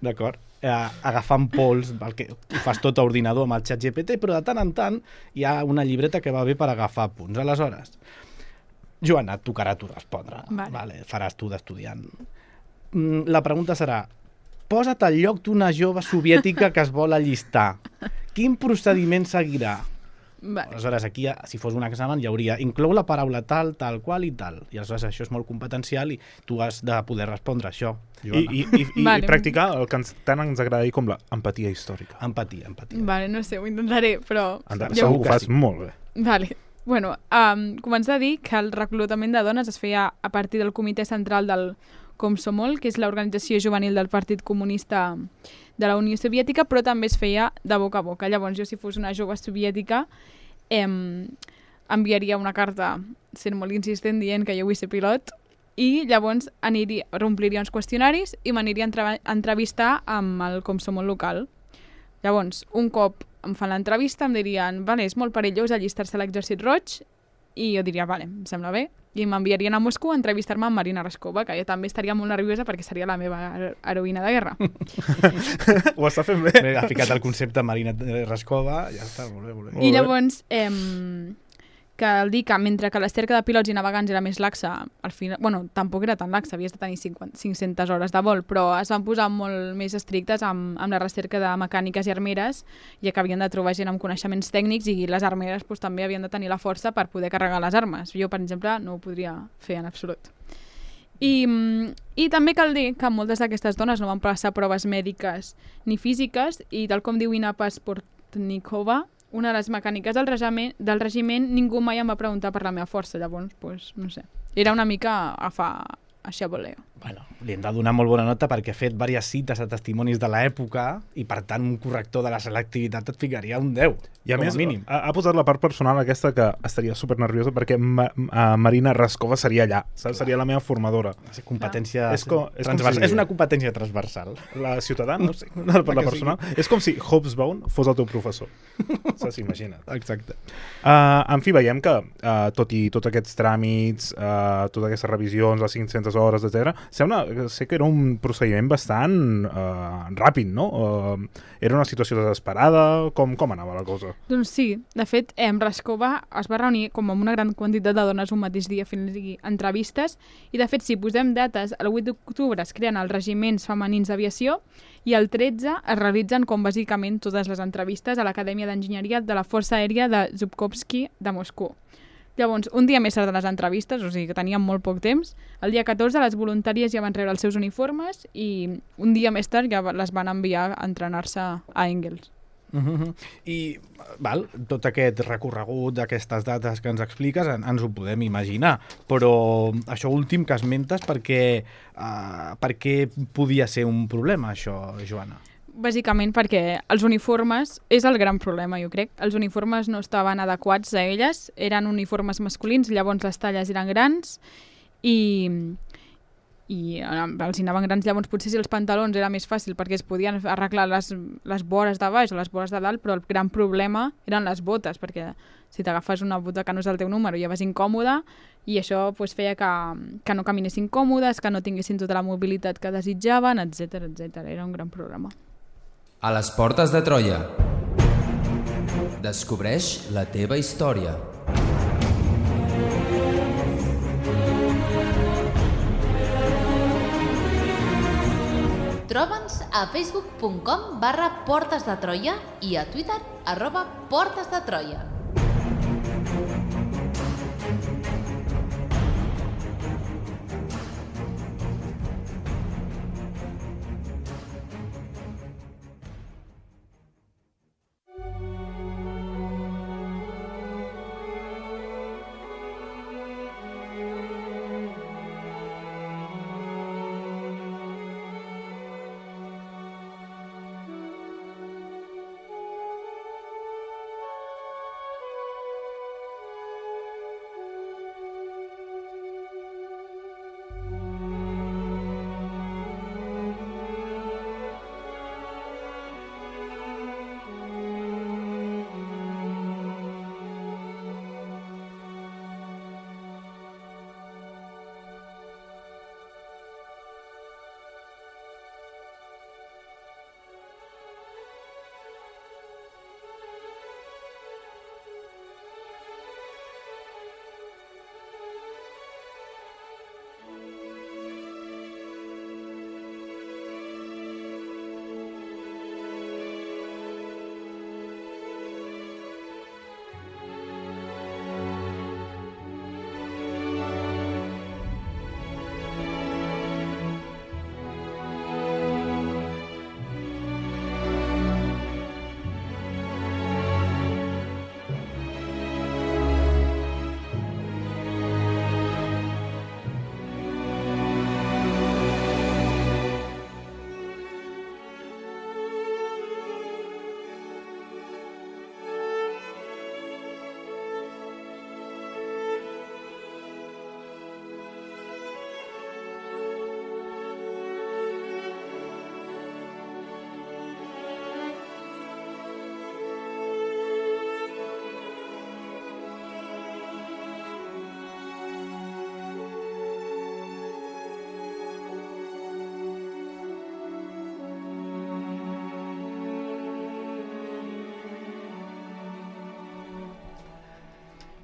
d'acord? Eh, agafant pols, el que ho fas tot a ordinador amb el xat G P T, però de tant en tant hi ha una llibreta que va bé per agafar punts. Aleshores, Joana, et tocarà tu respondre. Vale. Vale, faràs tu d'estudiant. La pregunta serà, posa't al lloc d'una jove soviètica que es vol allistar. Quin procediment seguirà? Vale. Aleshores, aquí, si fos un examen, hi hauria inclou la paraula tal, tal, qual i tal. I aleshores això és molt competencial i tu has de poder respondre això, Joana. I, i, i, Vale. i practicar el que ens, tant ens agrada dir com l'empatia històrica. Empatia, empatia. Vale, no sé, ho intentaré, però... Anda, jo- segur que ho que fas sí. molt bé. Vale. Bueno, um, començar a dir que el reclutament de dones es feia a partir del comitè central del Komsomol, que és l'organització juvenil del Partit Comunista de la Unió Soviètica, però també es feia de boca a boca. Llavors, jo, si fos una jove soviètica, em, enviaria una carta sent molt insistent dient que jo vull ser pilot i llavors aniria, ompliria uns qüestionaris i m'aniria a entre- a entrevistar amb el Komsomol local. Llavors, un cop em fan l'entrevista em dirien, vale, és molt perillós allistar-se a l'exèrcit roig, i jo diria, vale, em sembla bé, i m'enviarien a Moscou a entrevistar-me amb Marina Raskova, que jo també estaria molt nerviosa perquè seria la meva hero- heroïna de guerra. Ho està fent bé. Bé, ha ficat el concepte Marina Raskova, ja està, molt bé, molt bé. I llavors, eh, cal dir que mentre que la cerca de pilots i navegants era més laxa, al final, bueno, tampoc era tan laxa, havies de tenir cinquanta, cinc-centes hores de vol, però es van posar molt més estrictes amb, amb la recerca de mecàniques i armeres, ja que havien de trobar gent amb coneixements tècnics i les armeres pues, també havien de tenir la força per poder carregar les armes. Jo, per exemple, no ho podria fer en absolut. I, I també cal dir que moltes d'aquestes dones no van passar proves mèdiques ni físiques i, tal com diu Ina Pasportnikova, una de les mecàniques del regiment, del regiment, ningú mai em va preguntar per la meva força, llavors, pues, no sé. Era una mica a fa així a voleo. Bueno, li hem de donar molt bona nota perquè ha fet diverses cites a testimonis de l'època i, per tant, un corrector de la selectivitat et ficaria un deu, I a com més, a mínim. ha, ha posat la part personal aquesta que estaria super nerviosa perquè ma, ma, Marina Raskova seria allà, saps? Seria la meva formadora. És competència És com- és com transversal. si- És una competència transversal. La ciutadana, no sé, per la que personal. És com si Hobsbawm fos el teu professor. Saps? Imagina't. Exacte. Uh, en fi, veiem que uh, tot i tots aquests tràmits, uh, totes aquestes revisions, les cinc-centes hores, etcètera, sembla sé que era un procediment bastant uh, ràpid, no? Uh, era una situació desesperada? Com, com anava la cosa? Doncs sí, de fet, eh, Raskova es va reunir com amb una gran quantitat de dones un mateix dia fent entrevistes i, de fet, si posem dates, el vuit d'octubre es creen els regiments femenins d'aviació i el tretze es realitzen com bàsicament totes les entrevistes a l'Acadèmia d'Enginyeria de la Força Aèria de Zhukovsky de Moscou. Llavors, un dia més tard de les entrevistes, o sigui que teníem molt poc temps, el dia catorze les voluntàries ja van rebre els seus uniformes i un dia més tard ja les van enviar a entrenar-se a Engels. Uh -huh. I val, tot aquest recorregut d'aquestes dates que ens expliques en, ens ho podem imaginar, però això últim que esmentes perquè, uh, perquè podia ser un problema, això, Joana? Bàsicament perquè els uniformes és el gran problema, jo crec. Els uniformes no estaven adequats a elles, eren uniformes masculins, llavors les talles eren grans i, i els hi anaven grans, llavors potser si els pantalons era més fàcil perquè es podien arreglar les, les vores de baix o les vores de dalt, però el gran problema eren les botes, perquè si t'agafes una bota que no és el teu número ja vas incòmode i això pues, feia que, que no caminessin còmodes, que no tinguessin tota la mobilitat que desitjaven, etcètera etcètera. Era un gran problema. A les portes de Troia. Descobreix la teva història. Troba'ns a facebook punt com barra Portes de Troia i a Twitter arroba Portes de Troia.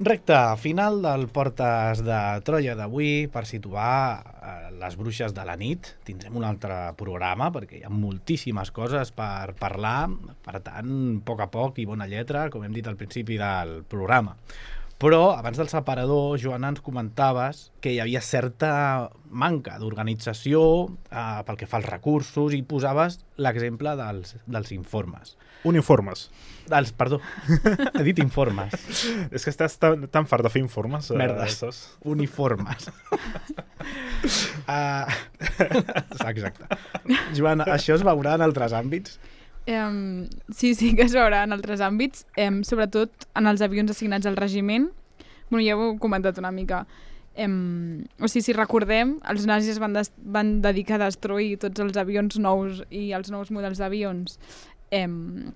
Recte final del Portes de Troia d'avui per situar eh, les bruixes de la nit. Tindrem un altre programa perquè hi ha moltíssimes coses per parlar, per tant, a poc a poc i bona lletra, com hem dit al principi del programa. Però abans del separador, Joana, ens comentaves que hi havia certa manca d'organització eh, pel que fa als recursos i posaves l'exemple dels, dels informes. Uniformes. Dels, perdó, he dit informes. És que estàs tan, tan fart de fer informes. Eh, Merdes. saps? Uniformes. uh, exacte. Joana, això es veurà en altres àmbits? Um, sí, sí que es veurà en altres àmbits, um, sobretot en els avions assignats al regiment. Bueno, ja ho he comentat una mica. Um, o sigui, si recordem, els nazis van, des van dedicar a destruir tots els avions nous i els nous models d'avions um,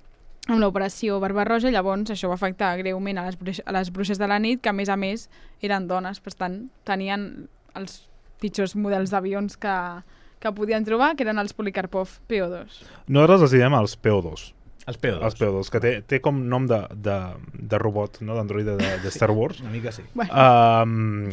amb l'operació Barbarroja. Llavors això va afectar greument a les, bruixes, a les bruixes de la nit, que a més a més eren dones, per tant tenien els pitjors models d'avions que, que podien trobar, que eren els Polikarpov P O dos. Nosaltres els diem els P O dos. Els P O dos. Els P O dos, que té, té com nom de, de, de robot, no? D'androide de, de Star Wars. Sí, una mica sí. Bueno. Um,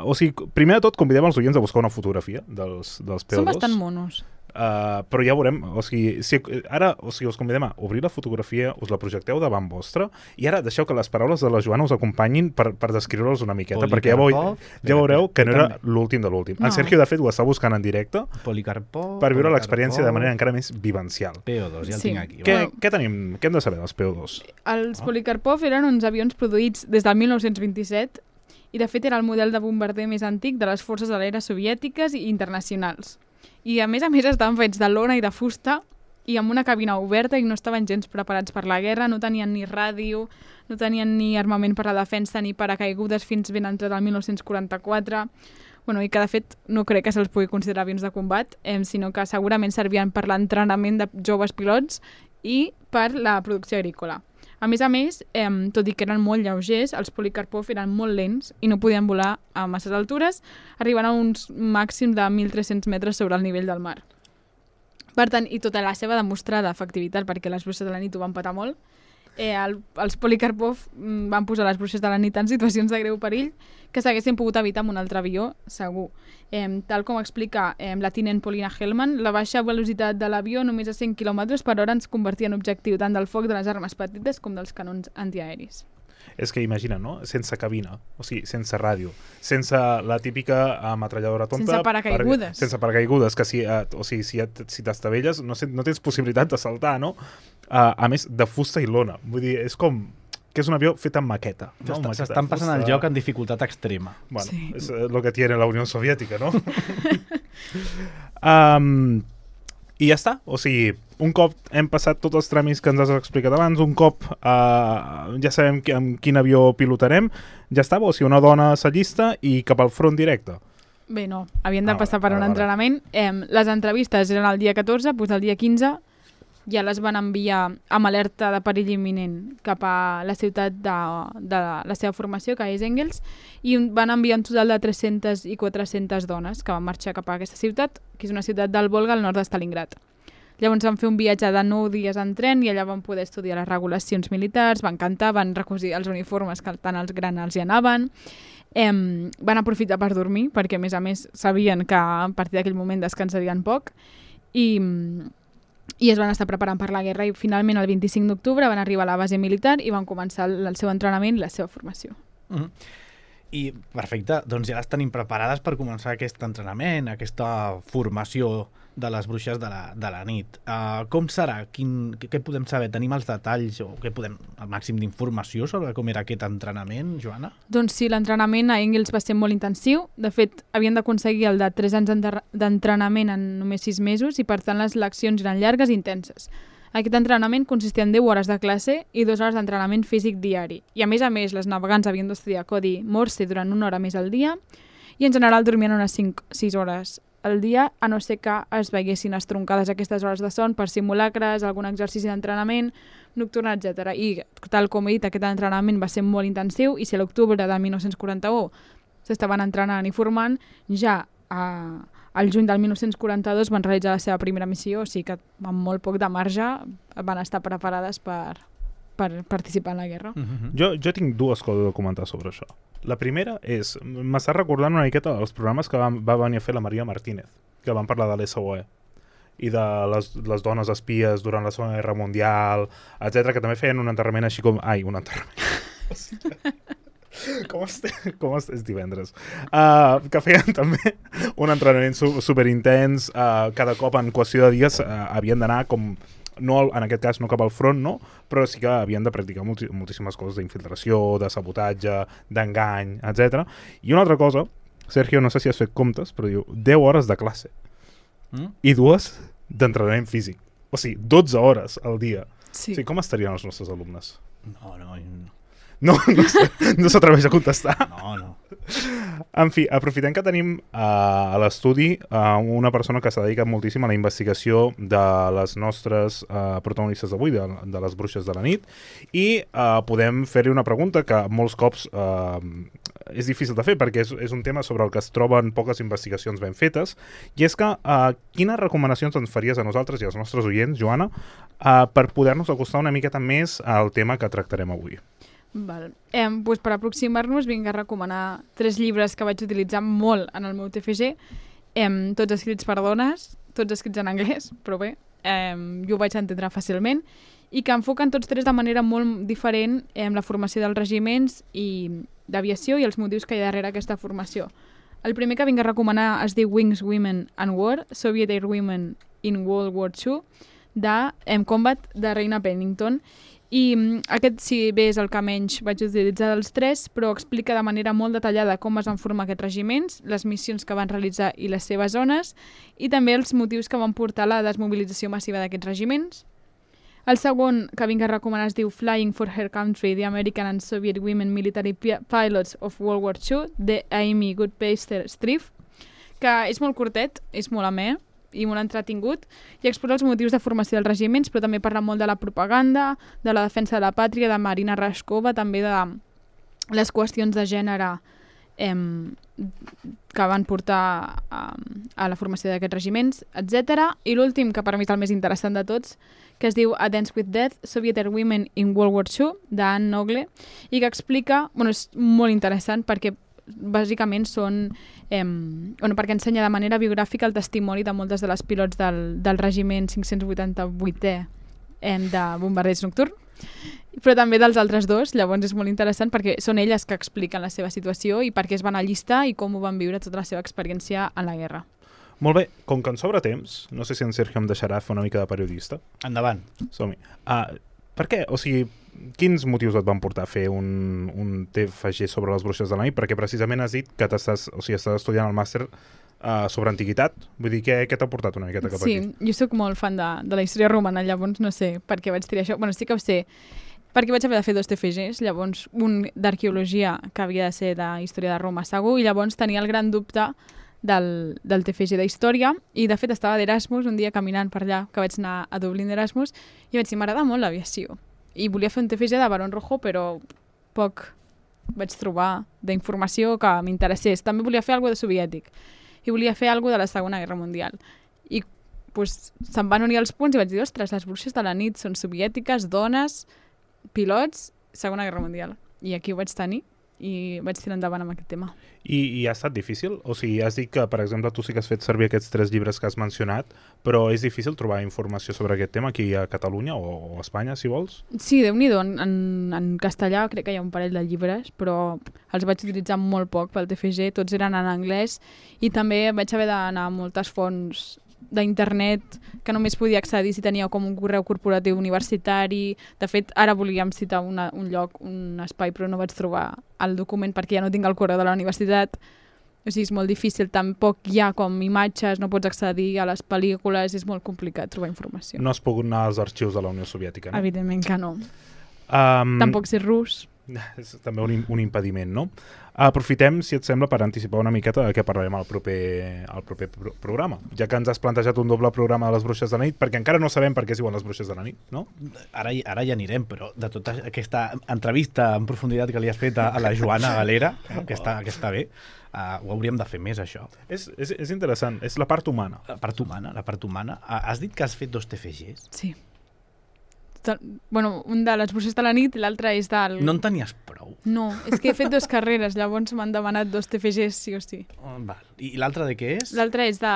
o sigui, primer de tot convidem els oients a buscar una fotografia dels, dels P O dos. Són bastant monos. Uh, però ja veurem, o sigui, si, ara o sigui, us convidem a obrir la fotografia, us la projecteu davant vostre i ara deixeu que les paraules de la Joana us acompanyin per, per descriure-los una miqueta, Polikarpov, perquè ja, veu, ja veureu que no era l'últim de l'últim. No. En Sergio, de fet, ho està buscant en directe Polikarpov, per viure l'experiència de manera encara més vivencial. P O dos, ja el Sí. tinc aquí. Què, Bueno. què tenim? Què hem de saber dels P O dos? Els Polikarpov eren uns avions produïts des del mil nou-cents vint-i-set i de fet era el model de bombarder més antic de les forces de l'aire soviètiques i internacionals. I a més a més estaven fets de lona i de fusta i amb una cabina oberta i no estaven gens preparats per la guerra, no tenien ni ràdio, no tenien ni armament per a la defensa ni paracaigudes fins ben entrat el mil nou-cents quaranta-quatre. Bueno, i que de fet no crec que se'ls pugui considerar avions de combat, eh, sinó que segurament servien per l'entrenament de joves pilots i per la producció agrícola. A més a més, eh, tot i que eren molt lleugers, els Polikarpov eren molt lents i no podien volar a masses altures, arribant a uns màxims de mil tres-cents metres sobre el nivell del mar. Per tant, i tota la seva demostrada efectivitat, perquè les bruixes de la nit ho van patar molt, eh, el, els Polikarpov mm, van posar les bruixes de la nit en situacions de greu perill que s'haguessin pogut evitar amb un altre avió, segur. Eh, tal com explica eh, la tinent Paulina Hellman, la baixa velocitat de l'avió, només a cent quilòmetres per hora, ens convertia en objectiu tant del foc de les armes petites com dels canons antiaeris. És que imagina, no? Sense cabina, o sigui, sense ràdio, sense la típica ametralladora tonta... Sense paracaigudes. Per, sense paracaigudes, que si, eh, o sigui, si, si t'estavelles no, no tens possibilitat de saltar, no? Uh, a més, de fusta i lona. Vull dir, és com... que és un avió fet amb maqueta. No? S'estan passant el joc en dificultat extrema. Bueno, sí. És el que tiene la Unió Soviètica, no? um, I ja està. O sigui, un cop hem passat tots els tràmits que ens has explicat abans, un cop uh, ja sabem que, amb quin avió pilotarem, ja està, o sigui, una dona s'allista i cap al front directe. Bé, no. Havien de Ah, passar per vale, un vale. entrenament. Eh, les entrevistes eren el dia catorze, doncs el dia quinze ja les van enviar amb alerta de perill imminent cap a la ciutat de, de la seva formació, que és Engels, i van enviar un total de tres-centes i quatre-centes dones que van marxar cap a aquesta ciutat, que és una ciutat del Volga al nord de Stalingrad. Llavors van fer un viatge de nou dies en tren i allà van poder estudiar les regulacions militars, van cantar, van recosir els uniformes que tant els granals hi anaven, eh, van aprofitar per dormir, perquè a més a més sabien que a partir d'aquell moment descansarien poc, i, i es van estar preparant per la guerra i finalment el vint-i-cinc d'octubre van arribar a la base militar i van començar el, el seu entrenament i la seva formació. Mm-hmm. I perfecte, doncs ja les tenim preparades per començar aquest entrenament, aquesta formació de les bruixes de la, de la nit. Uh, com serà? Quin, què podem saber? Tenim els detalls o què podem, el màxim d'informació sobre com era aquest entrenament, Joana? Doncs sí, l'entrenament a Engels va ser molt intensiu. De fet, havien d'aconseguir el de tres anys d'entrenament en només sis mesos i per tant les leccions eren llargues i intenses. Aquest entrenament consistia en deu hores de classe i dues hores d'entrenament físic diari. I a més a més, les navegants havien d'estudiar codi Morse durant una hora més al dia i en general dormien unes cinc sis hores al dia, a no ser que es veiessin estroncades aquestes hores de son per simulacres, algun exercici d'entrenament nocturn, etcètera. I tal com he dit, aquest entrenament va ser molt intensiu i si a l'octubre de dinou quaranta-u s'estaven entrenant i formant, ja a... al juny del dinou quaranta-dos van realitzar la seva primera missió, o sigui que amb molt poc de marge van estar preparades per, per participar en la guerra. Mm-hmm. Jo, jo tinc dues coses a comentar sobre això. La primera és, m'està recordant una miqueta dels programes que va, va venir a fer la Maria Martínez, que van parlar de l'S O E i de les, les dones espies durant la Segona Guerra Mundial, etcètera, que també feien un enterrament així com... Ai, un enterrament... Com estem? Com estem? És divendres. Uh, que feien també un entrenament su superintens. Uh, cada cop en qüestió de dies uh, havien d'anar com... No, en aquest cas no cap al front, no? Però sí que havien de practicar molti moltíssimes coses d'infiltració, de sabotatge, d'engany, etcètera. I una altra cosa, Sergio, no sé si has fet comptes, però diu deu hores de classe Mm? i dues d'entrenament físic. O sigui, dotze hores al dia. Sí. O sigui, com estarien els nostres alumnes? No, no, no. No, no s'atreveix a contestar. No, no. En fi, aprofitem que tenim uh, a l'estudi uh, una persona que s'ha dedicat moltíssim a la investigació de les nostres uh, protagonistes d'avui, de, de les bruixes de la nit, i uh, podem fer-li una pregunta que molts cops uh, és difícil de fer perquè és, és un tema sobre el que es troben poques investigacions ben fetes, i és que uh, quines recomanacions ens faries a nosaltres i als nostres oients, Joana, uh, per poder-nos acostar una miqueta més al tema que tractarem avui? Val. Eh, doncs per aproximar-nos vinc a recomanar tres llibres que vaig utilitzar molt en el meu T F G, eh, tots escrits per dones, tots escrits en anglès, però bé, eh, jo ho vaig entendre fàcilment, i que enfoquen tots tres de manera molt diferent eh, la formació dels regiments i d'aviació i els motius que hi ha darrere aquesta formació. El primer que vinc a recomanar es diu Wings, Women and War, Soviet Air Women in World War two, de em Combat, de Reina Pennington. I aquest, si bé és el que menys vaig utilitzar dels tres, però explica de manera molt detallada com es van formar aquests regiments, les missions que van realitzar i les seves zones, i també els motius que van portar a la desmobilització massiva d'aquests regiments. El segon que vinc a recomanar es diu Flying for Her Country, The American and Soviet Women Military Pilots of World War two, de Amy Goodpaster-Streiff, que és molt curtet, és molt amè, i molt entretingut, i explora els motius de formació dels regiments, però també parla molt de la propaganda, de la defensa de la pàtria, de Marina Rashkova, també de les qüestions de gènere eh, que van portar a, a la formació d'aquests regiments, etcètera. I l'últim, que per mi és el més interessant de tots, que es diu A Dance with Death, Soviet Women in World War two, d'Anne Nogle, i que explica, bueno, és molt interessant perquè bàsicament són, eh, bueno, perquè ensenya de manera biogràfica el testimoni de moltes de les pilots del, del regiment cinc-cents vuitanta-vuitè eh, de bombarders nocturn, però també dels altres dos. Llavors és molt interessant perquè són elles que expliquen la seva situació i per què es van allistar i com ho van viure tota la seva experiència en la guerra. Molt bé, com que ens sobra temps, no sé si en Sergio em deixarà fer una mica de periodista. Endavant. Som-hi. Uh, per què? O sigui, quins motius et van portar a fer un, un T F G sobre les bruixes de la nit? Perquè precisament has dit que t'estàs, o sigui, estàs estudiant el màster uh, sobre antiguitat. Vull dir, què, què t'ha portat una miqueta cap sí, aquí? Sí, jo sóc molt fan de, de la història romana, llavors no sé per què vaig triar això. Bueno, sí que ho sé, perquè vaig haver de fer dos T F Gs, llavors un d'arqueologia, que havia de ser de història de Roma segur, i llavors tenia el gran dubte del, del T F G d'història, i de fet estava d'Erasmus un dia caminant per allà, que vaig anar a Dublín d'Erasmus, i vaig dir, m'agrada molt l'aviació. I volia fer un T F G de Barón Rojo, però poc vaig trobar d'informació que m'interessés. També volia fer alguna de soviètic, i volia fer alguna de la Segona Guerra Mundial. I pues, se'm van unir els punts i vaig dir, ostres, les bruixes de la nit són soviètiques, dones, pilots, Segona Guerra Mundial. I aquí ho vaig tenir i vaig tirar endavant amb aquest tema. I, I ha estat difícil? O sigui, has dit que, per exemple, tu sí que has fet servir aquests tres llibres que has mencionat, però és difícil trobar informació sobre aquest tema aquí a Catalunya o, o a Espanya, si vols? Sí, Déu-n'hi-do. En, en, en castellà crec que hi ha un parell de llibres, però els vaig utilitzar molt poc pel T F G, tots eren en anglès, i també vaig haver d'anar a moltes fonts d'internet que només podia accedir si tenia com un correu corporatiu universitari. De fet, ara volíem citar una, un lloc, un espai, però no vaig trobar el document perquè ja no tinc el correu de la universitat. O sigui, és molt difícil, tampoc hi ha com imatges, no pots accedir a les pel·lícules, és molt complicat trobar informació. No has pogut anar als arxius de la Unió Soviètica, no? Evidentment que no. Um, Tampoc sé rus. És també un, un impediment, no? Aprofitem, si et sembla, per anticipar una miqueta de què parlarem al proper, al proper pro programa, ja que ens has plantejat un doble programa de les bruixes de la nit, perquè encara no sabem per què es diuen les bruixes de la nit, no? Ara, ara ja anirem, però de tota aquesta entrevista en profunditat que li has fet a, a la Joana Galera, no? que, està, que està bé, uh, ho hauríem de fer més, això. És, és, és interessant, és la part humana. La part humana, la part humana. Uh, has dit que has fet dos T F Gs? Sí. Bueno, un de les bruixes de la nit i l'altre és del... No en tenies prou? No, és que he fet dues carreres, llavors m'han demanat dos T F Gs sí o sí. Oh, val. I l'altre de què és? L'altre és de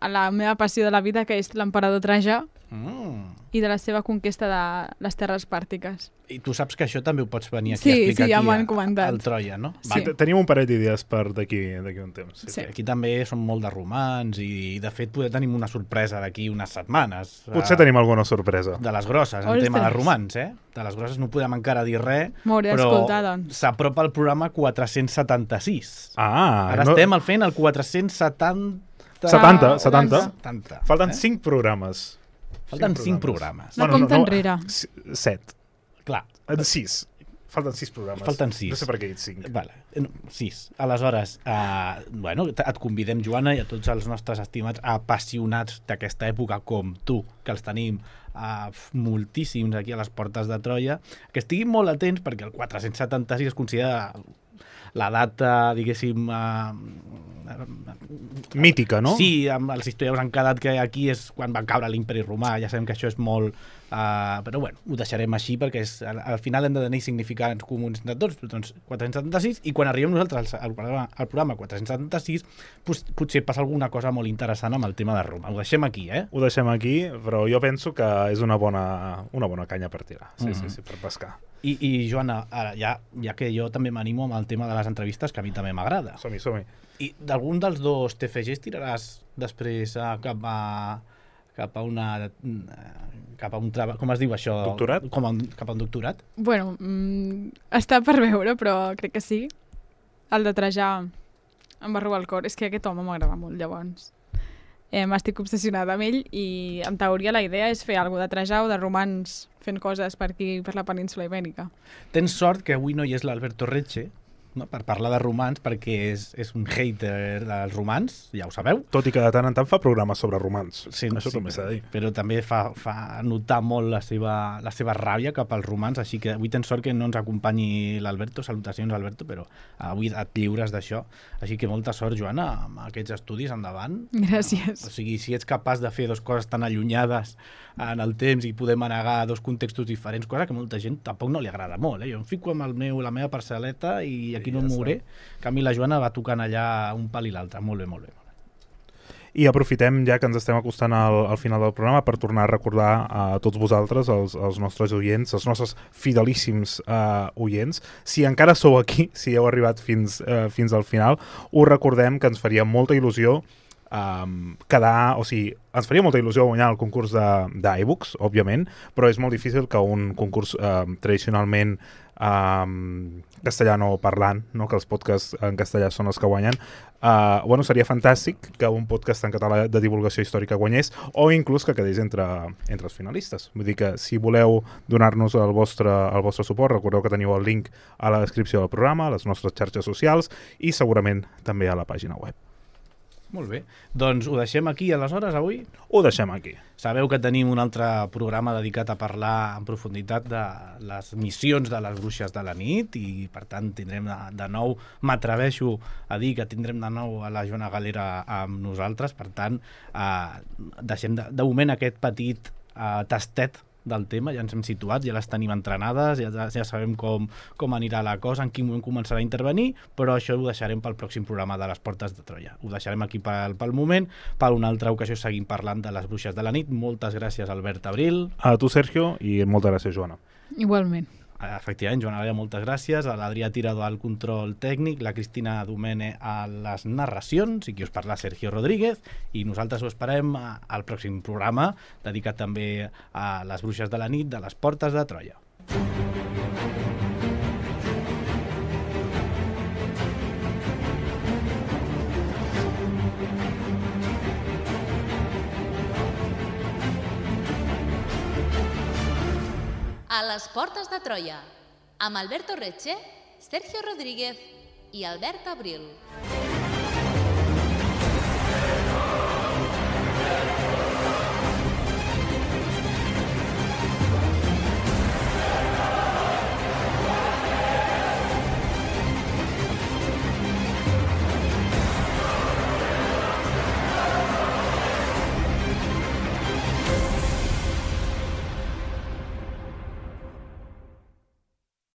la meva passió de la vida, que és l'emperador Trajà, Mm. i de la seva conquesta de les terres pàrtiques. I tu saps que això també ho pots venir aquí Sí, a explicar sí, ja aquí m'ho han a- comentat. al Troia, no? Sí. Va, Tenim un parell d'idees per d'aquí d'aquí un temps. Sí. Sí. aquí també som molt de romans i, de fet, poder tenim una sorpresa d'aquí unes setmanes. Potser eh, tenim alguna sorpresa. De les grosses, en Ostres. tema de romans, eh? De les grosses no podem encara dir res, M'hauré però d'escoltar, doncs. s'apropa el programa quatre-cents setanta-sis. Ah, Ara no... estem al fent el quatre-cents setanta... setanta, setanta. setanta. Falten eh? cinc programes. Falten cinc programes. No compta enrere. s- Set. Clar, Eh, Sis. Falten sis programes. Falten sis. No sé per què he dit cinc. vale. No, sis. Aleshores, eh, bueno, t- et convidem, Joana, i a tots els nostres estimats apassionats d'aquesta època com tu, que els tenim uh, moltíssims aquí a les portes de Troia, que estiguin molt atents perquè el quatre-cents setanta-sis es considera la data, diguéssim... Uh, Mítica, no? Sí, amb els historiadors han quedat que aquí és quan va caure l'imperi romà, ja sabem que això és molt... Uh, però bueno, ho deixarem així perquè és, al, al final hem de tenir significants comuns de tots, doncs quatre-cents setanta-sis, i quan arribem nosaltres al, al, programa, al programa quatre-cents setanta-sis pues, potser passa alguna cosa molt interessant amb el tema de Roma. Ho deixem aquí, eh? Ho deixem aquí, però jo penso que és una bona, una bona canya per tirar. Sí, Mhm. sí, sí, per pescar. I, i Joana, ara, ja, ja que jo també m'animo amb el tema de les entrevistes, que a mi també m'agrada. Som-hi, som-hi. I d'algun dels dos T F Gs tiraràs després a, cap a cap a una cap a un treball, com es diu això? Doctorat? Com a un, cap a un doctorat? Bueno, mm, està per veure, però crec que sí. El de Trajà em va robar el cor. És que aquest home m'agrada molt, llavors. Eh, M'estic obsessionada amb ell i, en teoria, la idea és fer alguna de Trajà o de romans fent coses per aquí, per la península Ibèrica. Tens sort que avui no hi és l'Alberto Reche, no? Per parlar de romans, perquè és, és un hater dels romans, ja ho sabeu. Tot i que de tant en tant fa programes sobre romans. Sí, Això sí, també s'ha de dir. Però també fa, fa notar molt la seva, la seva ràbia cap als romans, així que avui tens sort que no ens acompanyi l'Alberto. Salutacions, Alberto, però avui et lliures d'això. Així que molta sort, Joana, amb aquests estudis endavant. Gràcies. O sigui, si ets capaç de fer dues coses tan allunyades en el temps i poder manegar dos contextos diferents, cosa que molta gent tampoc no li agrada molt. Eh? Jo em fico amb el meu, la meva parcel·leta i aquí no em mouré. En canvi, la Joana va tocant allà un pal i l'altre. Molt bé, molt bé. I aprofitem, ja que ens estem acostant al, al final del programa, per tornar a recordar a tots vosaltres, els, els nostres oients, els nostres fidelíssims uh, oients, si encara sou aquí, si heu arribat fins, uh, fins al final, us recordem que ens faria molta il·lusió um, quedar, o sigui, ens faria molta il·lusió guanyar el concurs d'iBooks, òbviament, però és molt difícil que un concurs uh, tradicionalment um, castellano parlant, no? Que els podcasts en castellà són els que guanyen. Uh, bueno, seria fantàstic que un podcast en català de divulgació històrica guanyés, o inclús que quedés entre, entre els finalistes. Vull dir que si voleu donar-nos el vostre, el vostre suport, recordeu que teniu el link a la descripció del programa, a les nostres xarxes socials i segurament també a la pàgina web. Molt bé. Doncs ho deixem aquí, aleshores, avui? Ho deixem aquí. Sabeu que tenim un altre programa dedicat a parlar en profunditat de les missions de les bruixes de la nit i, per tant, tindrem de, de nou, m'atreveixo a dir que tindrem de nou a la Joana Galera amb nosaltres, per tant, eh, deixem de, de moment aquest petit eh, tastet del tema, ja ens hem situat, ja les tenim entrenades, ja, ja sabem com, com anirà la cosa, en quin moment començarà a intervenir, però això ho deixarem pel pròxim programa de les Portes de Troia. Ho deixarem aquí pel, pel moment, per una altra ocasió seguim parlant de les bruixes de la nit. Moltes gràcies, Albert Abril. A tu, Sergio, i moltes gràcies, Joana. Igualment. Efectivament, Joana Galera, moltes gràcies, a l'Adrià Tirado al control tècnic, la Cristina Domene a les narracions, i qui us parla Sergio Rodríguez, i nosaltres ho esperem al pròxim programa, dedicat també a les bruixes de la nit de les Portes de Troia. A les Portes de Troia, amb Alberto Reche, Sergio Rodríguez i Albert Abril.